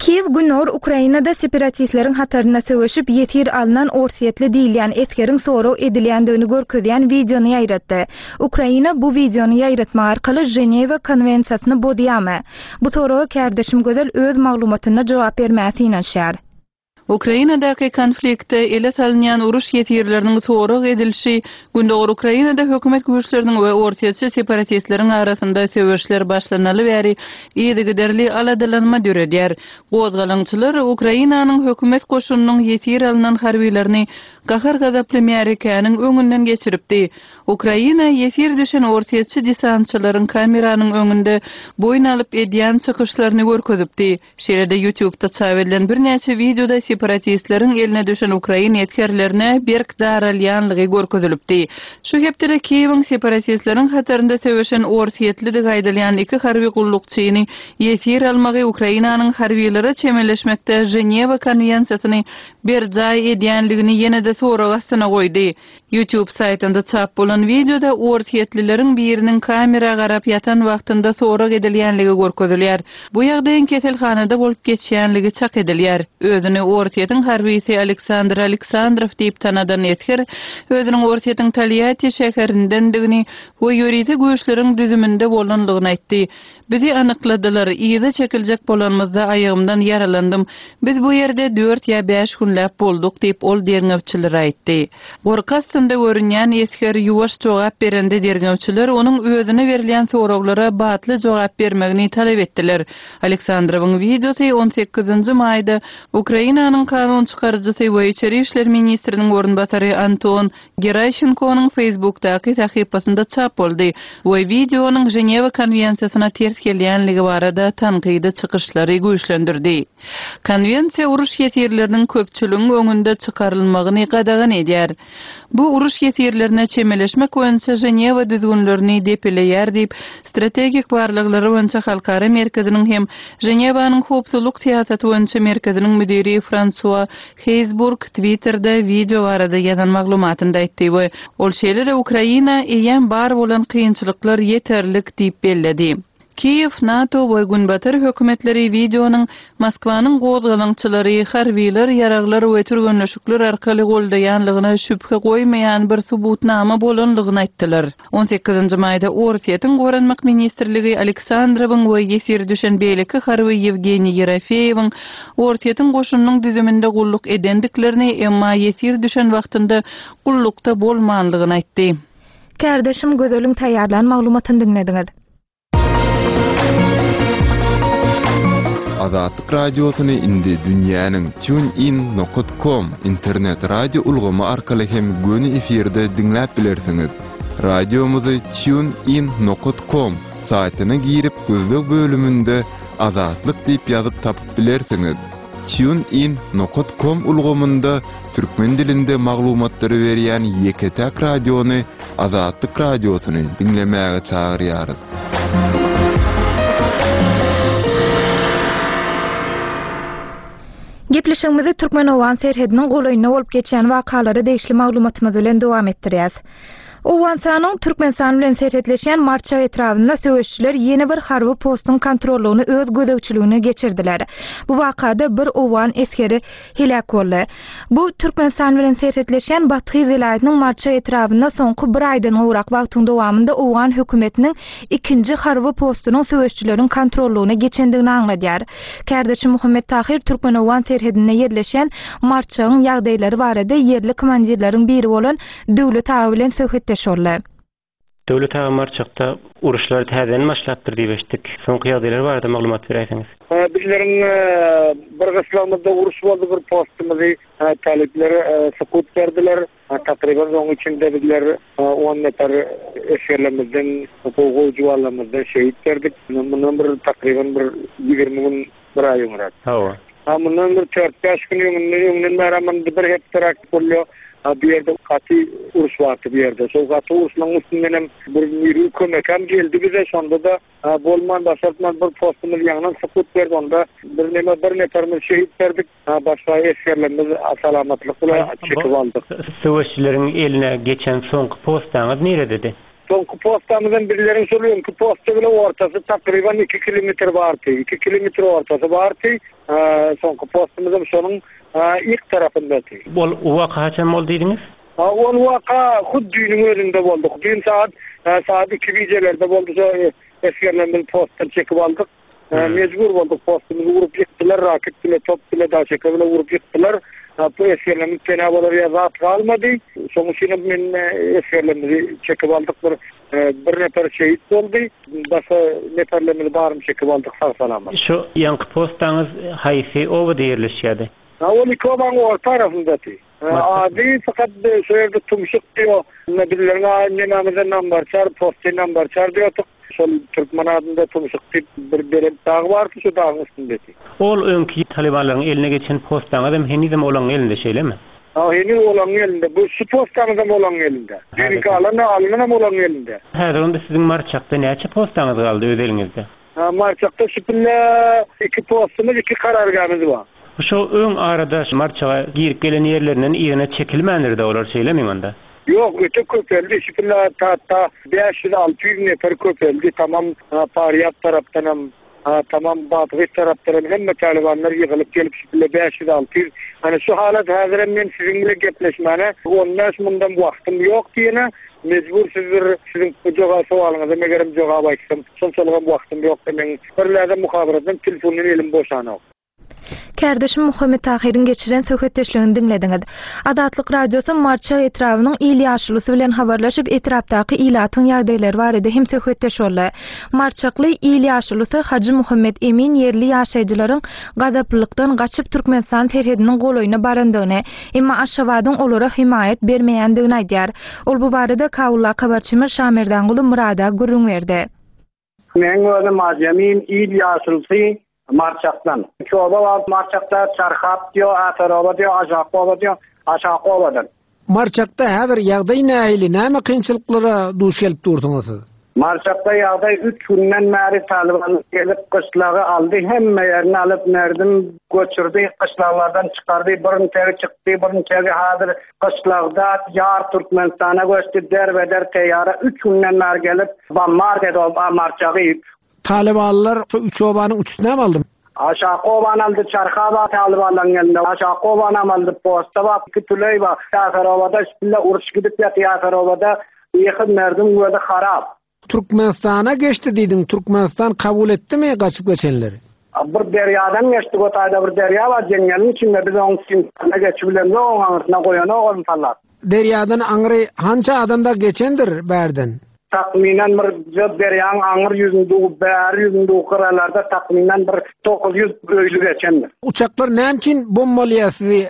Kiýew Gündogar Ukrainada separatistleriň hatarynda söweşip, ýesir alnan orsýetli diýilýän esgeriň sorag edilýändigini görkezýän wideony ýaýratdy. Ukraina bu wideony ýaýratmak arkaly Ženewa konwensiýasyny bozýarmy? Bu soraga kärdeşim Gözel öz maglumatynda jogap bermäge synanyşýar. Ukrainadaky konfliktde ele salynýan uruş ýesirleriniň sorag edilişi Gündogar Ukrainada hökümet güýçleriniň we orsýetçi separatistleriň arasynda söweşler başlanaly bäri yzygiderli aladalanma döredýär. Gozgalaňçylar Ukrainanyň hökümet goşunynyň ýesir alnan harbylaryny gahar-gazaply märekäniň öňünden geçiripdi. Ukraina ýesir düşen orsýetçi desantçylaryň kameranyň öňünde boýun alyp edýän çykyşlaryny görkezipdi. Şeýle-de YouTube-da çap edilen birnäçe wideoda separatistleriň eline düşen ukrain esgerlerine berk daralýanlygy görkezilipdi. Şu hepdede Kiýewiň separatistleriň hatarynda söweşen orsýetlidigi aýdylýan iki harby gullukçyny ýesir almagy Ukrainanyň harbylara çemeleşmekde Ženewa konwensiýasyny berjaý edýänligini ýene-de sorag astyna goýdy. YouTube saýtynda çap bolan wideoda orsýetlileriň biriniň kamera garap ýatan wagtynda sorag edilýänligi görkezilýär. Bu ýagdaýyň keselhanada bolup geçýänligi çak edilýär. Özüni Orsýetiň harbysy Aleksandr Aleksandrow diýip tanadan esger özüniň Orsýetiň Tolýatti şäherindendigini we ýörite güýçleriň düzüminde bolanlygyny aýtdy. Bizi anykladylar, yza çekiljek bolanymyzda aýagymdan ýaralandym. Biz bu ýerde dört ýa bäş günläp bolduk, diýip, ol derňewçilere aýtdy. Gorky astynda görünýän esger ýuwaş jogap berende derňewçiler onuň özüne berilýän soraglara batly jogap bermegini talap etdiler. Aleksandrowyň wideosy on sekizinji maýda Ukrainanyň kanun çykaryjysy we içeri işler ministriniň orunbasary Anton Geraşenkonyň Facebookdaky sahypasynda çap boldy we wideonyň Ženewa konwensiýasyna ters gelýänligi barada tankydy çykyşlary güýçlendirdi. Konwensiýa uruş ýesirleriniň köpçüligiň öňünde çykarylmagyny gadagan edýär. Bu uruş ýesirlerine çemeleşmek boýunça Ženewa düzgünlerini depeleýär diýip, Strategik barlaglar boýunça halkara merkeziniň hem Ženewanyň howpsuzlyk syýasaty boýunça merkeziniň müdiri Fransua Heýzburg Twitterde wideo barada ýazan maglumatynda aýtdy we ol şeýle-de Ukraina eýýäm bar bolan kynçylyklar ýeterlik diýip belledi. Kiýew, NATO we Günbatar hökümetleri wideonyň Moskwanyň gozgalaňçylary harbylar, ýaraglar we türgenleşikler arkaly goldaýanlygyna şübhe goýmaýan bir subutnama bolanlygyny aýtdylar. On sekizinji maýda Orsýetiň Goranmak ministrligi Aleksandrowyň we ýesir düşen beýleki harby Ýewgeniý Ýerofeýewiň Orsýetiň goşunynyň düzüminde gulluk edendiklerini, emma ýesir düşen wagtynda gullukda bolmanlygyny aýtdy. Kärdeşim Gözeliň taýýarlan maglumatyny diňlediňiz. Azatlyk Radiosyny indi dünýäniň TuneIn nokat kom internet radio ulgamy arkaly hem göni efirde diňläp bilersiňiz. Radiomyzy TuneIn nokat kom saýtyna girip gözleg bölüminde Azatlyk diýip ýazyp tapyp bilersiňiz. TuneIn nokat kom ulgamynda türkmen dilinde maglumatlary berýän ýeke-täk radiony Azatlyk Radiosyny diňlemäge çagyrýarys. Gepleşigimizi türkmen-owgan serhediniň golaýynda bolup geçýän wakalara degişli maglumatymyz bilen dowam etdirýäs. Owganystanyň Türkmenistan bilen serhetleşýän Marçak etrabynda söweşijiler ýene bir harby postuň kontrollygyny öz gözegçiligine geçirdiler. Bu wakada bir owgan esgeri heläk boldy. Bu Türkmenistan bilen serhetleşýän Bathyz welaýatynyň Marça etrabynda soňky bir aýdan gowrak wagtyň dowamynda owgan hökümetiniň ikinji harby postunyň söweşijileriň kontrollygyna geçendigini aňladýar. Kärdeşi Muhammet Tahyr türkmen-owgan serhedinde ýerleşýän Marçagyň ýagdaýlary barada ýerli komandirleriň biri bolan Döwlet aga bilen söhbetdeş boldy. Döwlet aga Marçakda uruşlar täzeden başlapdyr diýip eşitdik. Soňky ýagdaýlar barada maglumat beräýseňiz. Bizleriň bir gyslagymyzda uruş boldy bir postumyzy talyplar sukut berdiler. Takryban oň içinde bizler on nefer esgerlerimizden gowy gowy juwanlarymyzdan şehit berdik. Mundan bir takryban bir 20 gün bir aý öňräk. Hawa. Ha mundan bir dört-bäş gün öňünden öňünden bäri mundan bir hepderäk bolýar. Ha bu ýerde gaty uruş bardy bu ýerde. Şol gaty uruşlaryň üstündenem bir miri kömek hem geldi bize. Şonda-da bolman başartman bir postumyz ýaňdan sukut berdi. Onda bir neme bir neferimiz şehit berdik. Ha başga esgerlerimiz salamatlyk bilen çekip aldyk. Söweşçileriň eline geçen soňky postaňyz nirededi? Soňky postamyzam bizleriň şol öňki posta bile ortasy takryban iki kilometr bardy. Iki kilometr ortasy bardy. Soňky postumyzam şonuň yk tarapyndady. Ol waka haçan boldy diýdiňiz? Ol waka hut düýnüň özünde boldy. Düýn sagat sagat iki gijelerde boldy. Şo esgerlerimizi postdan çekip aldyk. Mejbur bolduk postumyzy urup ýykdylar, raket bile, top bile, daşeka bile urup ýykdylar. Bu esgerlerimiz pena bolar ýa zat galmady. Şonuň üçinem men esgerlerimizi çekip aldyk. Bir bir nefer şehit boldy. Başga neferlerimizi baryny çekip aldyk sag-salamat. Şu ýaňky postaňyz haýsy obada ýerleşýärdi? Ol iki obaň orta arasyndady. Ady fakat şu ýerde Tumşuk diýo. Bizleriň nemamizde Nambarçar, posty Nambarçar diýodyk. Şol türkmen adynda Tumşuk diýip bir belent dag bardy, şu dagyň üstündedi. Ol öňki talybanlaryň eline geçen postaňyzam henizem olaň elinde şeýlemi? Ha, heniz olaň elinde. Bu şu postaňyzam olaň elinde. Düýnki alan alynanam olaň elinde. Häzir onda siziň Marçakda näçe postaňyz galdy öz eliňizde? Marçakda şu pille iki postumyz, iki karargämiz bar. Şo öň arada Marçaga girip gelen ýerlerinden yzyna çekilmändir-de olar şeýlemi onda? Ýok, öte köpeldi. Şu pille hatda 500-600 nefer köpeldi. Tamam Farýab tarapdanam, tamam Badgys tarapdanam hemme talybanlar ýygylyp gelip şu pille 500-600. Ana şu halat häzirem men siziň bilen gepleşmäne on bäş mundam wagtym ýok diýene Mejbur siz bir siziň bu joga sowalyňyza megerem jogap aýtsam, şonçalygam wagtym ýokdy meň. Bir läzem muhabaratdan telefondan elim boşanok. Kärdeşim Muhammet Tahyryň geçiren söhbetdeşligini diňlediňiz. Azatlyk Radiosy Marçak etrabynyň il ýaşulusy bilen habarlaşyp, etrapdaky ilatyň ýagdaýlary barada hem söhbetdeş boldy. Marçakly il ýaşulusy Hajy Muhammet Emin ýerli ýaşaýjylaryň gazaplylykdan gaçyp Türkmenistan serhediniň golaýyna barandygyny, emma Aşgabadyň olara hemaýat bermeýändigini aýdýar. Ol bu barada Kabuldaky habarçymyz Şamerdanguly Myrada gürrüň berdi. Meň özüm Ajemin il ýaşulusy Marçakdan. Iki oba bar Marçakda, Çarhap diýo, Atar oba diýo, Aşaky oba diýo, Aşaky obadan. Marçakda häzir ýagdaý nähili, näme kynçylyklara duş gelip dursuňyz siz? Marçakda ýagdaý üç günden bäri talybanlar gelip gyşlagy aldy, hemme ýerini alyp merdim göçürdi, gyşlaglardan çykardy, birinçegi çykdy, birinçegi häzir gyşlagda ýar Türkmenistana göçdi, derbeder teýýara üç günden bäri gelip bombard edip Marçagy. Talybanlar şu üç obanyň üçüsinem aldy. Aşaky obany aldy, Çarha bar talybanlaryň elinde. Aşaky obanam aldy, Posta bar, iki tüleý bar. Ýasarobada şpille uruş gidip ýatyr Ýasarobada ýykyp merdiň gözi harap. Türkmenistana geçdi diýdiň, Türkmenistan kabul etdimi gaçyp geçenleri? Bir derýadan geçdik o taýda bir derýa bar jeňňeliň içinde biz oň içine geçip bilemzok oň aňyrsyna goýanok ony sallap. Derýadan aňry hança adam dagy geçendir bärden? Takmynan bir derýaň aňyr ýüzündigi, bäri ýüzündigi gyralarda takmynan bir 900 öýli geçendir. Uçaklar näme üçin bombalaýar sizi,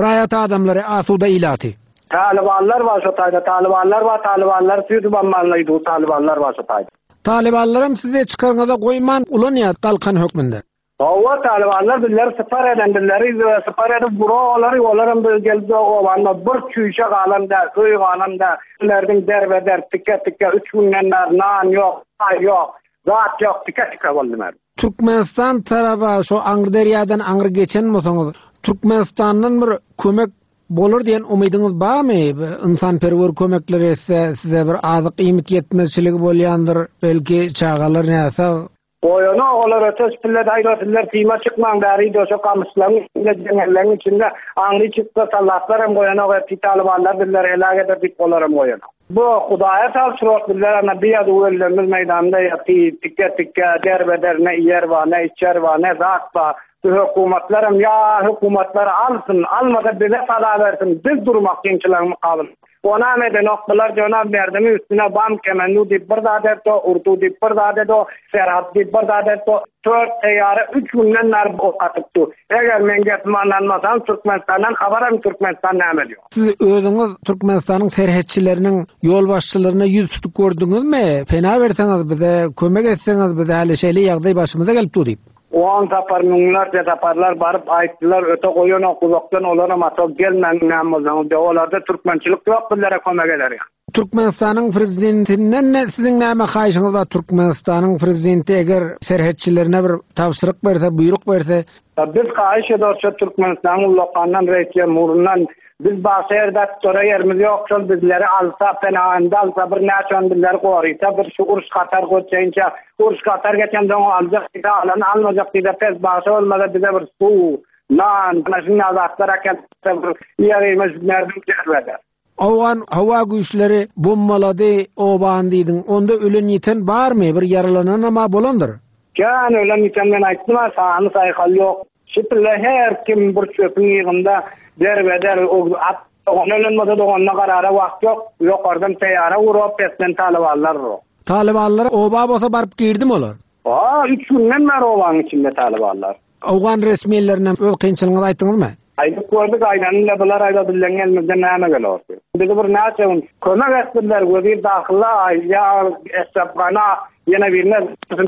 raýat adamlary, asuda ilaty? Talybanlar bar şo taýda, talybanlar bar, talybanlar sizi bombalaýdy, talybanlar bar şo taýda. Talybanlaram sizi çykarňyza goýman ulanýar galkan hökmünde. Hawa, talybanlar bizleri sypar eden, bizleri sypar edip gura olary, olaram biz gelip obanda bir çüýşe galan däl, öý galan däl. Bilerdiň derbeder, tike-tike, üç günden bäri nan ýok, çaý ýok, zat ýok, tike-tike boldy mer. Türkmenistan taraba şo aňry derýadan aňry geçen bolsaňyz, Türkmenistandan bir kömek bolar diýen umydyňyz barmy? Ynsanperwer kömekler etse size bir azyk iýmit ýetmezçiligi bolýandyr, belki çagalar näsag, Goýanok olar öteş pille daýza sizler syma çykmaň bäri döşe gamyşlaryň içinde jeňňelleň içinde aňry çyksa sallatlaram goýanok ertir talybanlar bizleri heläk eder diýip olaram goýanok. Bu hudaýa tabşyryk bizler ana bir ýazuw öllerimiz meýdanda ýaty tike tike derbeder ne iýer bar ne içer bar ne zat bar bu hökümatlaram ýa hökümatlar alsyn almasa bize sala bersin biz durmak kynçylygyň mukabylynda. Onam edenok bular jonam berdimi üstüne bam kemendu diýip bir zat etdi, urdu diýip bir zat etdi, serhat diýip bir zat etdi. Tört teýýara üç günden bäri ok atyp dur. Eger meň gepime ynanmasaňyz Türkmenistandan habar alyň Türkmenistan näme diýýär. Siz özüňiz Türkmenistanyň serhetçileriniň ýolbaşçylaryna ýüz tutup gördüňizmi? Pena berseňiz bize kömek etseňiz biz häli şeýle ýagdaý başymyza gelip dur diýip. On sapar, müňlerçe saparlar baryp aýtdylar, öte goýanok, uzakdan olaram ato gelmäň näme bolsaňyz diýip, olarda türkmençilik ýok bizlere kömek eder ýaly. Türkmenistanyň prezidentinden siziň näme haýyşyňyz bar? Türkmenistanyň prezidenti eger serhetçilerine bir tabşyryk berse, buýruk berse. Biz haýyş ederis şo Türkmenistanyň ullakandan reis-jemhuryndan biz başga ýerde tutura ýerimiz ýok şol bizleri alsa penahynda alsa bir näçe gün bizleri gorysa bir şu uruş gatar göçeýinçä uruş gatar geçensoň aljak diýse alan almajak diýse pes bagşa bolmasa bize bir suw nan ana şunday zatlar äkeltse bir ýerimiz merdim derwede. Owgan howa güýçleri bombalady obany diýdiň. Onda ölen ýiten barmy? Bir ýaralananam-a bolandyr. Kän ölen ýiten men aýtdym-a sany saýhal ýok. Şipille her kim bir çöpüň ýygynda derbeder o at dogan ölen bolsa doganyna garara wagt ýok. Ýokardan teýara urop pesden talybanlar urop. Talybanlar oba bolsa baryp girdimi olar? A, üç günden bäri obanyň içinde talybanlar. Owgan resmilerine öz kynçylygyňyzy aýtdyňyzmy? Aýdyp gördük, aýdanyny-da bular aýda bizleň elimizden näme geler? Bizi bir näçe gün kömek etdiler, wezir dahyla, ýa Eşrepgana, ýene birine,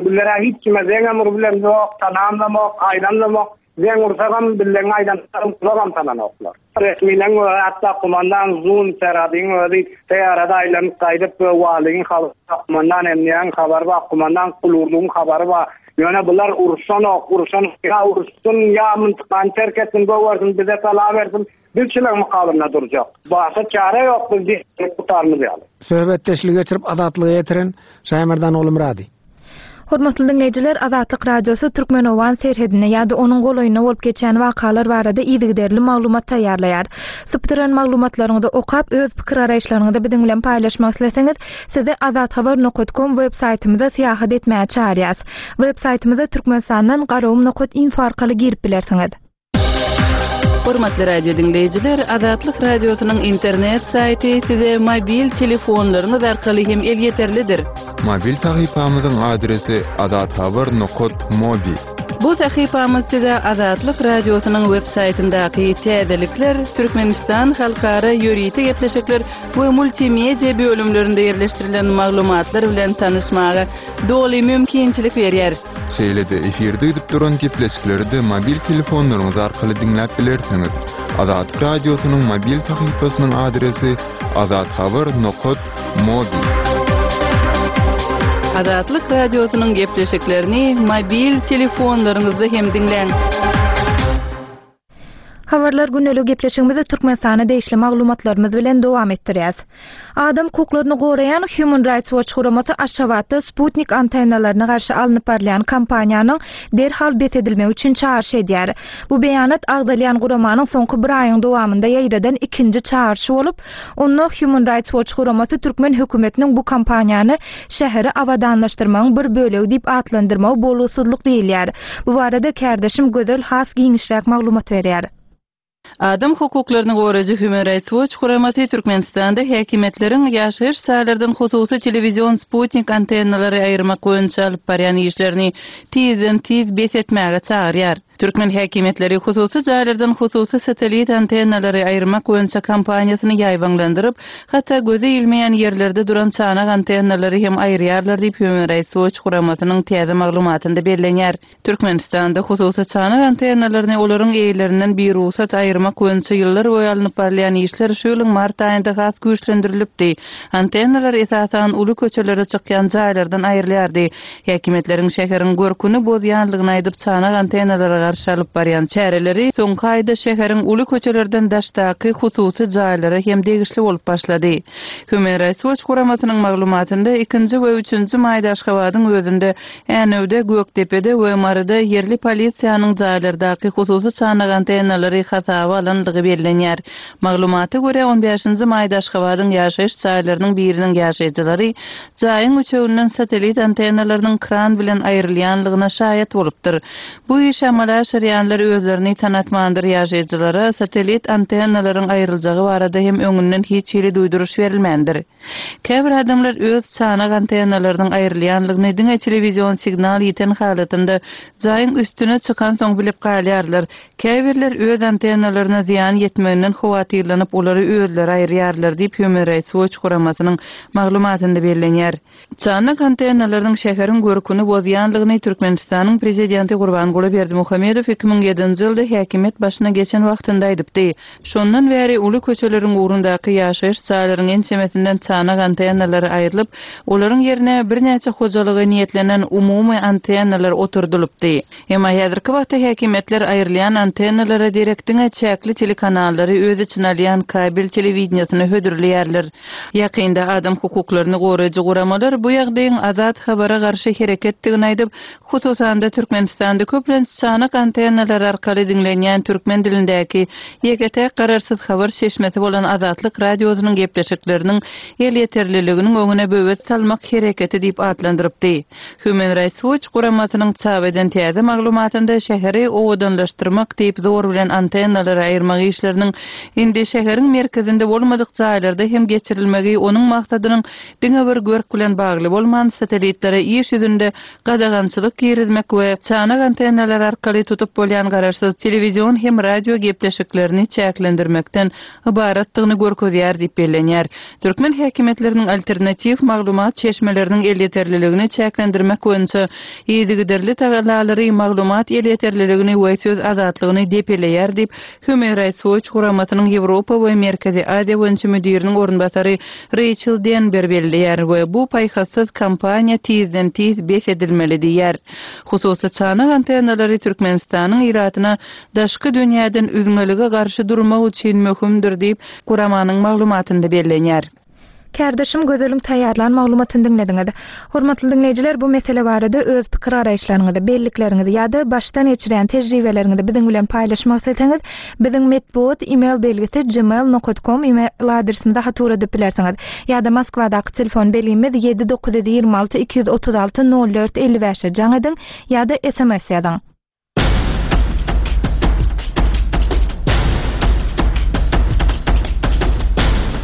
bizler-ä hiç kime zeňem urubilemzok, tanamzamok, aýdamzamok, zeň ursagam bizleň aýdanlarymyzy gulagam salanoklar. Resmileň özi, hatda kumandan Zun Seradyň özi teýarada aýlanyp gaýdyp, walyň habary bar, kumandan Emniýaň habary bar, kumandan Kulurdugyň habary bar. Ýöne bular uruşanok, uruşan ýa uruşsyn, ýa myntykany terk etsin, gowersin, bize sala bersin, biz şularyň mukabylynda durjak. Başga çäre ýok, biz diýip gutarmyz ýaly. Söhbetdeşligi geçirip Azatlyga ýetiren Şaýmerdan Ogulmyrady. Hormatly diňleýjiler, Azatlyk Radiosy türkmen-owgan serhedinde ýa-da onuň golaýynda bolup geçýän wakalar barada yzygiderli maglumat taýýarlaýar. Sypdyran maglumatlaryňyzy okap, öz pikir-garaýyşlaryňyzy biziň bilen paýlaşmak isleseňiz, sizi azathabar nokat kom web saýtymyza syýahat etmäge çagyrýas. Web saýtymyza Türkmenistandan garagum nokat info arkaly girip bilersiňiz. Hormatly radio diňleýjiler, Azatlyk Radiosynyň internet saýty size mobil telefonlaryňyz arkaly hem elýeterlidir. Mobil sahypamyzyň adresi azathabar nokat mobi. Bu sahypamyz size Azatlyk Radiosynyň web saýtyndaky täzelikler, Türkmenistan halkara ýörite gepleşikler we multimedia bölümlerinde ýerleşdirilen maglumatlar bilen tanyşmaga doly mümkinçilik berýär. Şeýle-de efirde gidip duran gepleşikleri-de mobil telefonlaryňyz arkaly diňläp bilersiňiz. Azatlyk Radiosynyň mobil sahypasynyň adresi azathabar nokat mobi. Azatlyk Radiosynyň gepleşiklerini mobil telefonlaryňyzda hem diňläň. Habarlar gündelik gepleşigimizi Türkmenistana degişli maglumatlarymyz bilen dowam etdirýäs. Adam hukuklaryny goraýan Human Rights Watch guramasy Aşgabatda sputnik antennalaryna garşy alnyp barylýan kampaniýanyň derhal bes edilmegi üçin çagyryş edýär. Bu beýanat agzalýan guramanyň soňky bir aýyň dowamynda ýaýradan ikinji çagyryşy bolup, onda Human Rights Watch guramasy türkmen hökümetiniň bu kampaniýany şäheri abadanlaşdyrmagyň bir bölegi diýip atlandyrmagy bolgusyzlyk diýilýär. Bu barada kärdeşim Gözel has giňişräk maglumat berýär. Adam hukuklaryny goraýjy Human Rights Watch guramasy Türkmenistanda häkimiýetleriň ýaşaýyş jaýlardan hususy telewizion sputnik antennalary aýyrmak boýunça alyp barýan işlerini tizden-tiz bes etmäge çagyrýar. Türkmen häkimiýetleri hususy jaýlardan hususy satellit antennalary aýyrmak boýunça kampaniýasyny ýaýbaňlandyryp, hatda göze ilmeýän ýerlerde duran çanak antennalary hem aýyrýarlar diýip, Human Rights Watch guramasynyň täze maglumatynda bellenýär. Türkmenistanda hususy çanak antennalaryny olaryň eýelerinden birugsat aýyrmak boýunça ýyllar boýy alnyp barylýan işler şu ýylyň mart aýynda has güýçlendirilipdi. Antennalar esasan uly köçelere çykýan jaýlardan aýrylýardy. Häkimiýetleriň şäheriň görküni bozýanlygyny aýdyp, çanak antennalara garşy alyp barýan çäreleri soňky aýda şäheriň uly köçelerden daşdaky hususy jaýlara hem degişli bolup başlady. Human Rights Watch guramasynyň maglumatynda ikinji we üçünji maýda Aşgabadyň özünde, Änewde, Gökdepede we Maryda ýerli polisiýanyň jaýlardaky hususy çanak antennalary hasaba alandygy bellenýär. Maglumata görä, on bäşinji maýda Aşgabadyň ýaşaýyş jaýlarynyň biriniň ýaşaýjylary jaýyň üçeginden satellit antennalarynyň kran bilen aýrylýanlygyna şaýat bolupdyr. Bu işi amala aşyrýanlar özlerini tanatmandyr, ýaşaýjylara satellit antennalaryň aýryljagy barada hem öňünden hiç hili duýduryş berilmändir. Käbir adamlar öz çanak antennalarynyň aýrylýanlygyny diňe telewizion signal ýiten halatynda jaýyň üstüne çykansoň bilip galýarlar. Käbirler öz antennalaryna zyýan ýetmeginden howatyrlanyp, olary özleri aýyrýarlar diýip, Human Rights Watch guramasynyň maglumatynda bellenýär. Çanak antennalarynyň şäheriň görküni bozýanlygyny Türkmenistanyň Prezidenti Gurbanguly Berdimuhamedow. Berdimuhamedow 2007-nji ýylda häkimiýet başyna geçen wagtynda aýdypdy. Şondan bäri uly köçeleriň ugrundaky ýaşaýyş jaýlaryň ençemesinden çanak antennalary aýrylyp, olaryň ýerine birnäçe hojalyga niýetlenen umumy antennalar oturdylypdy. Emma häzirki wagtda häkimiýetler aýrylýan antennalara derek diňe çäkli telekanallary öz içine alýan kabel telewideniýesini hödürleýärler. Ýakynda adam hukuklaryny goraýjy guramalar bu ýagdaýyň azat habara garşy hereketdigini aýdyp, hususan-da Türkmenistanda köplenç çanak antennalary arkaly diňlenýän türkmen dilindäki ýeke-täk garaşsyz habar çeşmesi bolan Azatlyk Radiosynyň gepleşikleriniň elýeterliliginiň öňüne böwet salmak hereketi diýip atlandyrypdy. Human Rights Watch guramasynyň çap eden täze maglumatynda şäheri owadanlaşdyrmak diýip zor bilen antennalary aýyrmak işleriniň indi şäheriň merkezinde bolmadyk jaýlarda hem geçirilmegi onuň maksadynyň diňe bir görk bilen bagly bolman satellitlere iş ýüzünde gadagançylyk girizmek we çanak antennalary arkaly tutup bolýan garaşsyz telewizion hem radio gepleşiklerini çäklendirmekden ybaratdygyny görkezýär diýip bellenýär. Türkmen häkimiýetleriniň alternatiw maglumat çeşmeleriniň elýeterliligini çäklendirmek boýunça yzygiderli tagallalary maglumat elýeterliligini we söz azatlygyny depeleýär diýip, Human Rights Watch guramasynyň Ýewropa we Merkezi Aziýa boýunça müdiriniň orunbasary Reýçel Denber belleýär we bu paýhassyz kampaniýa tizden-tiz bes edilmeli diýýär. Hususy çanak antennalary Türkmenistanyň ilatyna daşky dünýäden üzňelige garşy durmak üçin möhümdir diýip, guramanyň maglumatynda bellenýär. Kärdeşim Gözeliň taýýarlan maglumatyny diňlediňiz. Hormatly diňleýjiler, bu mesele barada öz pikir-garaýyşlaryňyzy, bellikleriňizi ýa-da başdan geçirýän tejribeleriňizi biziň bilen paýlaşmak isleseňiz, biziň metbugat email belgisi gmail nokat kom email adresimize hat ugradyp bilersiňiz. Ýa-da Moskwadaky telefon belgimiz ýedi 926 236 04 55-e jaň ediň ýa-da sms ýazyň.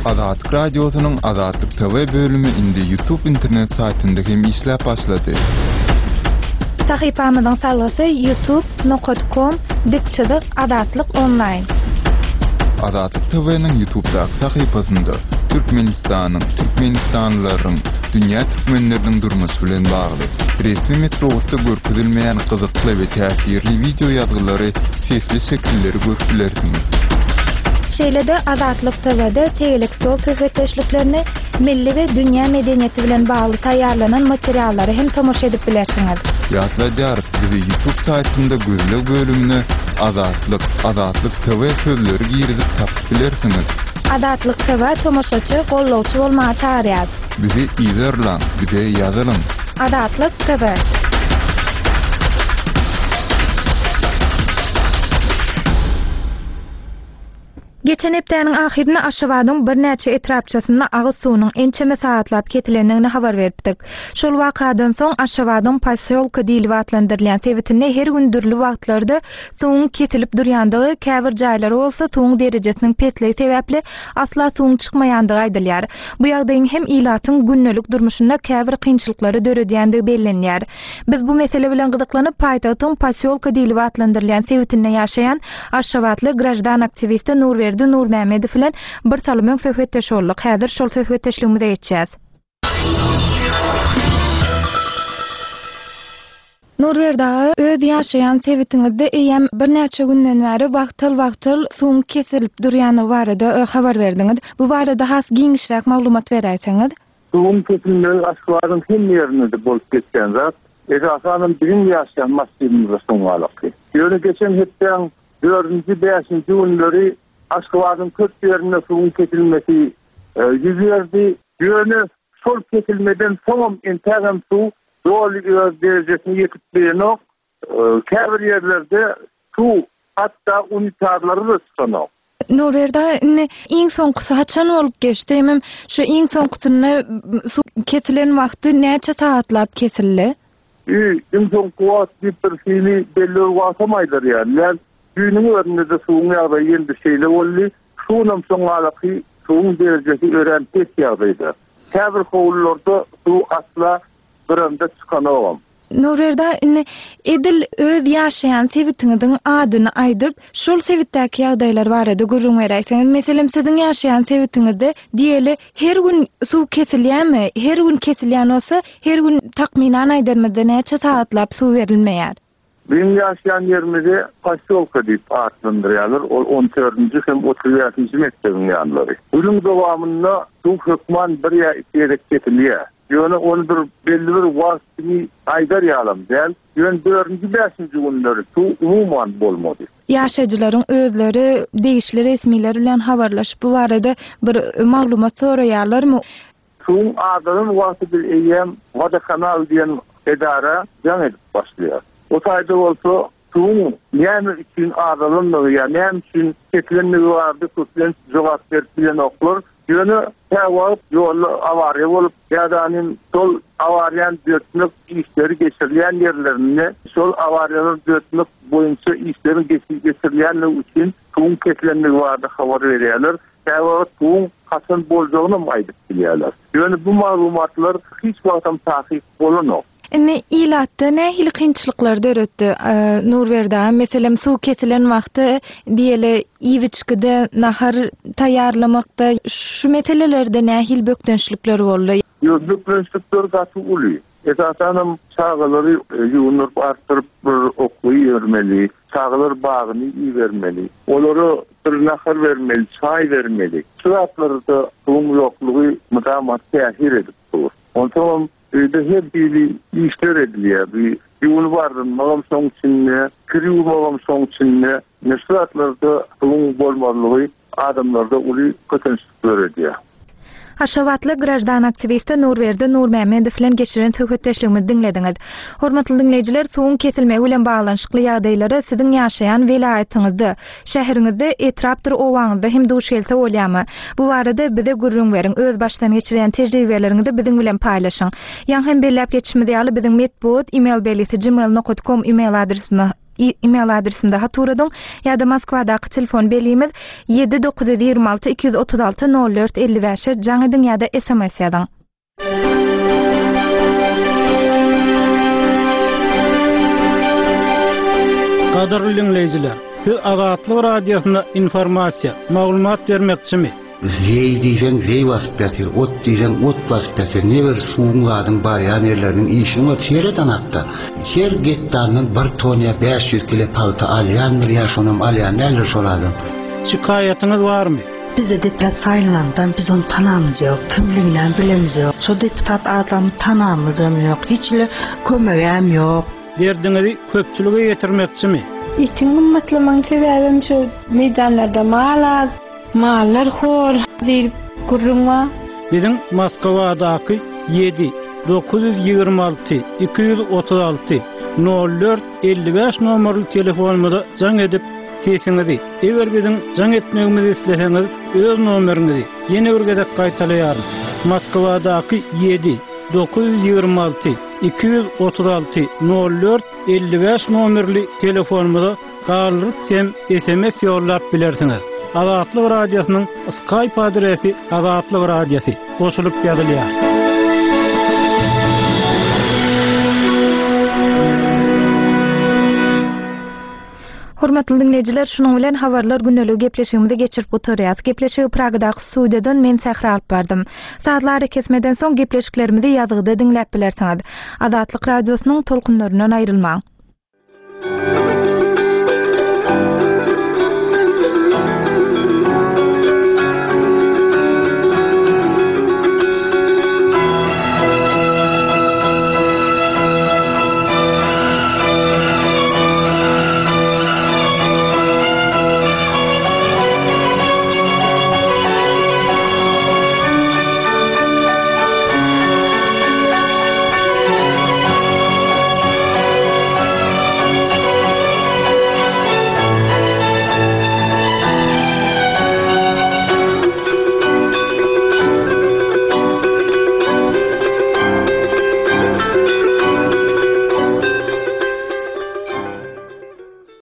Azatlyk Radiosynyň Azatlyk TV bölümi indi YouTube internet saýtynda hem işläp başlady. Sahypamyzyň salgysy youtube nokat kom dik çyzyk azatlyk onlaýn. Azatlyk TV-niň YouTubedaky sahypasynda Türkmenistanyň, türkmenistanlylaryň, dünýä türkmenleriniň durmuşy bilen bagly, resmi metbugatda görkezilmeýän gyzykly we täsirli wideo ýazgylary, sesli şekilleri görüp bilersiňiz. Şeýle-de Azatlyk TW-de tegelek stol söhbetdeşliklerini, milli we dünýä medeniýeti bilen bagly taýýarlanan materiallara hem tomaşa edip bilersiňiz. Ýatladýarys, bizi YouTube saýtynda gözleg bölümine Azatlyk, Azatlyk TV sözleri girizip tapyp bilersiňiz. Azatlyk TV tomaşaçy, gollawçy bolmaga çagyrýar. Bizi yzarlaň, bize ýazylyň. Azatlyk TV. Geçen hepdäniň ahyrynda Aşgabadyň birnäçe etrapçasynda agyz suwunyň ençeme sagatlap kesilendigini habar beripdik. Şol wakadan soň Aşgabadyň posýolka diýlip atlandyrylýan sebitinde her gün dürli wagtlarda suwuň kesilip durýandygy, käbir jaýlara bolsa suwuň derejesiniň pesligi sebäpli asla suwuň çykmaýandygy aýdylýar. Bu ýagdaýyň hem ilatyň gündelik durmuşynda käbir kynçylyklary döredýändigi bellenýär. Biz bu mesele bilen gyzyklanyp, paýtagtyň posýolka diýlip atlandyrylýan sebitinde ýaşaýan aşgabatly graždan aktiwisti Nurberdi Nurmämmedow bilen bir salym öň söhbetdeş bolduk. Häzir şol söhbetdeşligimize geçýäs. Nurberdi aga, öz ýaşaýan sebitiňizde eýýäm birnäçe günden bäri wagtal-wagtal suwuň kesilip durýandygy barada habar berdiňiz. Bu barada has giňişräk maglumat beräýseňiz? Suwuň kesilmegi Aşgabadyň hemme ýerinde-de bolup geçýän zat. Esasanam biziň ýaşaýan massiwimizde soňňalaky. Ýöne geçen hepdäň dördünji, bäşinji günleri Aşgabadyň köp ýerinde suwuň kesilmesi ýüz berdi. Ýöne şol kesilmeden soňam entägem suw doly öz derejesine ýetip bilenok. Käbir ýerlerde suw hatda unitazlara-da çykanok. Nurberdi aga, indi iň soňkusy haçan bolup geçdi? Hemem şu iň soňkusynda suw kesilen wagty näçe sagatlap kesildi? Iň soňky wagt diýip bir hili belli bir wagtam aýdar ýaly däl. Düýnüň özünde-de suwuň ýagdaýy ýene-de şeýle boldy. Şu günem soňňalaky suwuň derejesi örän pes ýagdaýda. Käbir howlularda suw asla gyranda çykanogam. Nurberdi aga, indi edil öz ýaşaýan sebitiňiziň adyny aýdyp, şol sebitdäki ýagdaýlar barada gürrüň beräýseňiz. Meselem, siziň ýaşaýan sebitiňizde, diýeli, her gün suw kesilýärmi? Her gün kesilýän bolsa, her gün takmynan aýdanymyzda näçe sagatlap suw berilmeýär? Biziň ýaşaýan ýerimizi posýolka diýip atlandyrýarlar, ol on dördünji hem 35-nji mekdebiň ýanlary. Günüň dowamynda suw hökman bir ýa iki gezek kesilýär. Ýöne ony bir belli bir wagt kimi aýdar ýalam däl. Ýöne dördünji, bäşinji günleri suw umuman bolmady. Ýaşaýjylaryň özleri degişli resmiler bilen habarlaşyp bu barada bir maglumat soraýarlarmy? Suwuň azalan wagty biz eýýäm Wodokanal diýen edara jaň edip başlaýarys. O taýda bolsa suwuň näme üçin azalandygy ýa näme üçin kesilendigi barada köplenç jogap berip bilenoklar. Ýöne käwagt ýolda awariýa bolup ýa-da anym şol awariýany düzetmek işleri geçirilýän ýerlerinde şol awariýalary düzetmek boýunça işleriň geçirilýänligi üçin suwuň kesilendigi barada habar berýärler. Käwagt suwuň haçan boljagynam aýdyp bilýärler. Ýöne bu maglumatlar hiç wagtam takyk bolanok. Indi ilatda nähili kynçylyklar döretdi, Nurberdi aga? Meselem, suw kesilen wagty, diýeli, iýip-içgide, nahar taýýarlamakda şu meselelerde nähili bökdençlikler boldy? Ýok, bökdençlikler gaty uly. Esasanam çagalary ýuwundyryp artdyryp bir okuwa ibermeli, çagalar bagyny ibermeli, olara bir nahar bermeli, çaý bermeli. Şu zatlarda suwuň ýoklugy mydama täsir edip dur. Onsoňam öýde her hili işler edilýär. Bir ýuwunyp ardynmagam şoň içinde, kir ýuwmagam şoň içinde. Ine şu zatlarda suwuň bolmazlygy adamlarda uly kösençlik döredýär. Aşgabatly graždan aktiwisti Nurberdi Nurmämmedow bilen geçiren söhbetdeşligimizi diňlediňiz. Hormatly diňleýjiler, suwuň kesilmegi bilen baglanyşykly ýagdaýlara siziň ýaşaýan welaýatyňyzda, şäheriňizde, etrapdyr obaňyzda hem duş gelse bolýarmy? Bu barada bize gürrüň beriň, öz başdan geçirýän tejribeleriňizi biziň bilen paýlaşyň. Ýaňy hem belläp geçişimiz ýaly, biziň metbugat email belgisi gmail nokat kom email adresimiz email adresimize hat ugradyň ýa-da Moskwadaky telefon belgimiz 7 926 236 04 55-e jaň ediň ýa-da sms ýazyň. Gadyrly diňleýjiler, siz Azatlyk Radiosyna informasiýa, maglumat bermekçimi? Zeý diýseň zeý basyp ýatyr, ot diýseň ot basyp ýatyr. Ne bir suwuň zadyň barýan ýerleriniň işini gör, seret anakda. Her gektaryndan bir ton ýa 500 kile pagta alýandyr ýa şonam alýan däldir şol adam. Şikaýatyňyz barmy? Bizde deputat saýlanandan biz ony tanamyz ýok, kimliginem bilemizok. Şo deputat adamy tanamyzam ýok, hiç hili kömegem ýok. Derdiňizi köpçülige ýetirmekçimi? Etiň gymmatlamagyň sebäbem şo meýdanlarda mal az. Mallar hor diýlip gürrüň bar. Biziň Moskwadaky ýedi, 926 236 04 55 nomerli telefonymyza jaň edip, sesiňizi, eger biziň jaň etmegimizi isleseňiz, öz nomeriňizi, ýene bir gezek gaýtalaýaryn, Moskwadaky ýedi, 926 236 04 55 nomerli telefonymyza galdyryp hem sms ýollap bilersiňiz. Azatlyk Radiosynyň Skype adresi Azatlyk Radiosy goşulyp ýazylýar. Hormatly diňleýjiler, şunuň bilen Habarlar gündeligi gepleşigimizi geçirip gutarýas. Gepleşigi Pragadaky studiýadan men Sähra alyp bardym. Sazly arakesmeden soň gepleşiklerimizi ýazgyda diňläp bilersiňiz. Azatlyk Radiosynyň tolkunlaryndan aýrylmaň.